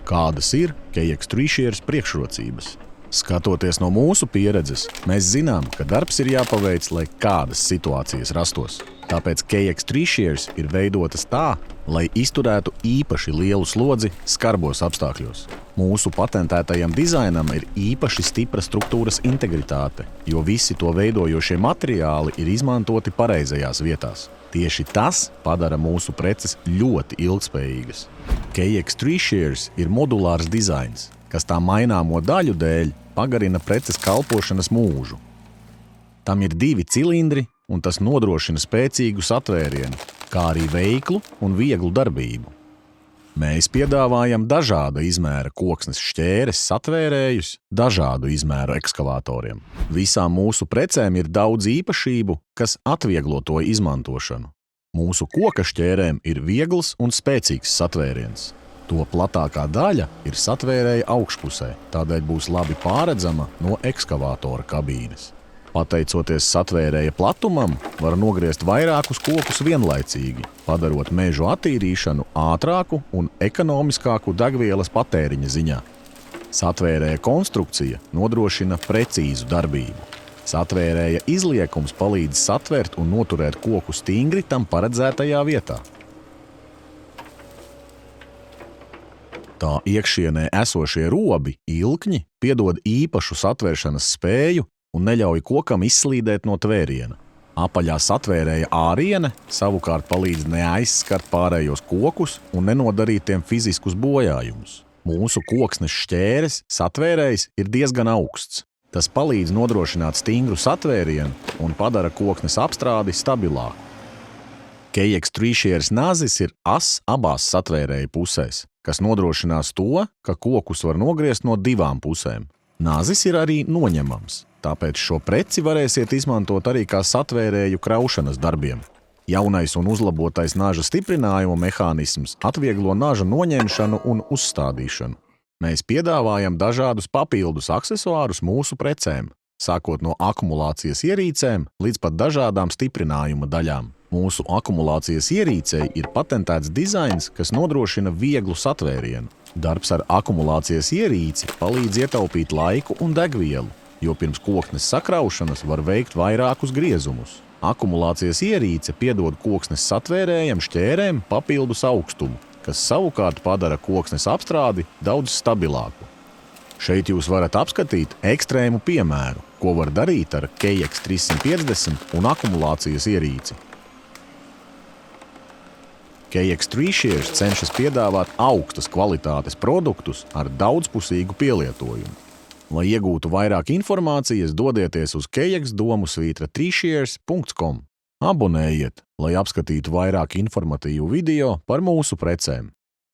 Kādas ir KX3 priekšrocības? Skatoties no mūsu pieredzes, mēs zinām, ka darbs ir jāpaveic, lai kādas situācijas rastos. Tāpēc KX3 ir veidotas tā, lai izturētu īpaši lielu slodzi skarbos apstākļos. Mūsu patentētajam dizainam ir īpaši stipra struktūras integritāte, jo visi to veidojošie materiāli ir izmantoti pareizajās vietās. Tieši tas padara mūsu preces ļoti ilgspējīgas. KX3 ir modulārs dizains, kas tā maināmo daļu dēļ pagarina preces kalpošanas mūžu. Tam ir 2 cilindri, un tas nodrošina spēcīgu satvērienu, kā arī veiklu un vieglu darbību. Mēs piedāvājam dažāda izmēra koksnes šķēres satvērējus dažādu izmēru ekskavatoriem. Visām mūsu precēm ir daudz īpašību, kas atvieglo to izmantošanu. Mūsu koka šķērēm ir viegls un spēcīgs satvēriens. To platākā daļa ir satvērēja augšpusē, tādēļ būs labi pārredzama no ekskavatora kabīnes. Pateicoties satvērēja platumam, var nogriezt vairākus kokus vienlaicīgi, padarot mežu attīrīšanu ātrāku un ekonomiskāku degvielas patēriņa ziņā. Satvērēja konstrukcija nodrošina precīzu darbību. Satvērēja izliekums palīdz satvert un noturēt koku stingri tam paredzētajā vietā. Tā iekšienē esošie robi, ilkņi, piedod īpašu satvēršanas spēju un neļauj kokam izslīdēt no tvēriena. Apaļā satvērēja āriene savukārt palīdz neaizskart pārējos kokus un nenodarīt tiem fiziskus bojājumus. Mūsu koksnes šķēres satvērējs ir diezgan augsts. Tas palīdz nodrošināt stingru satvērienu un padara koksnes apstrādi stabilāku. KX3 nazis ir ass abās satvērēja pusēs, kas nodrošinās to, ka kokus var nogriezt no 2 pusēm. Nazis ir arī noņemams, tāpēc šo preci varēsiet izmantot arī kā satvērēju kraušanas darbiem. Jaunais un uzlabotais naža stiprinājuma mehānisms atvieglo naža noņemšanu un uzstādīšanu. Mēs piedāvājam dažādus papildus aksesuārus mūsu precēm, sākot no akumulācijas ierīcēm līdz pat dažādām stiprinājuma daļām. Mūsu akumulācijas ierīcei ir patentēts dizains, kas nodrošina vieglu satvērienu. Darbs ar akumulācijas ierīci palīdz ietaupīt laiku un degvielu, jo pirms koksnes sakraušanas var veikt vairākus griezumus. Akumulācijas ierīce piedod koksnes satvērējam šķērēm papildus augstumu, kas savukārt padara koksnes apstrādi daudz stabilāku. Šeit jūs varat apskatīt ekstrēmu piemēru, ko var darīt ar KX350 un akumulācijas ierīci. KX3 cenšas piedāvāt augstas kvalitātes produktus ar daudzpusīgu pielietojumu. Lai iegūtu vairāk informācijas, dodieties uz kxdomusvītra3shares.com. Abonējiet, lai apskatītu vairāk informatīvu video par mūsu precēm.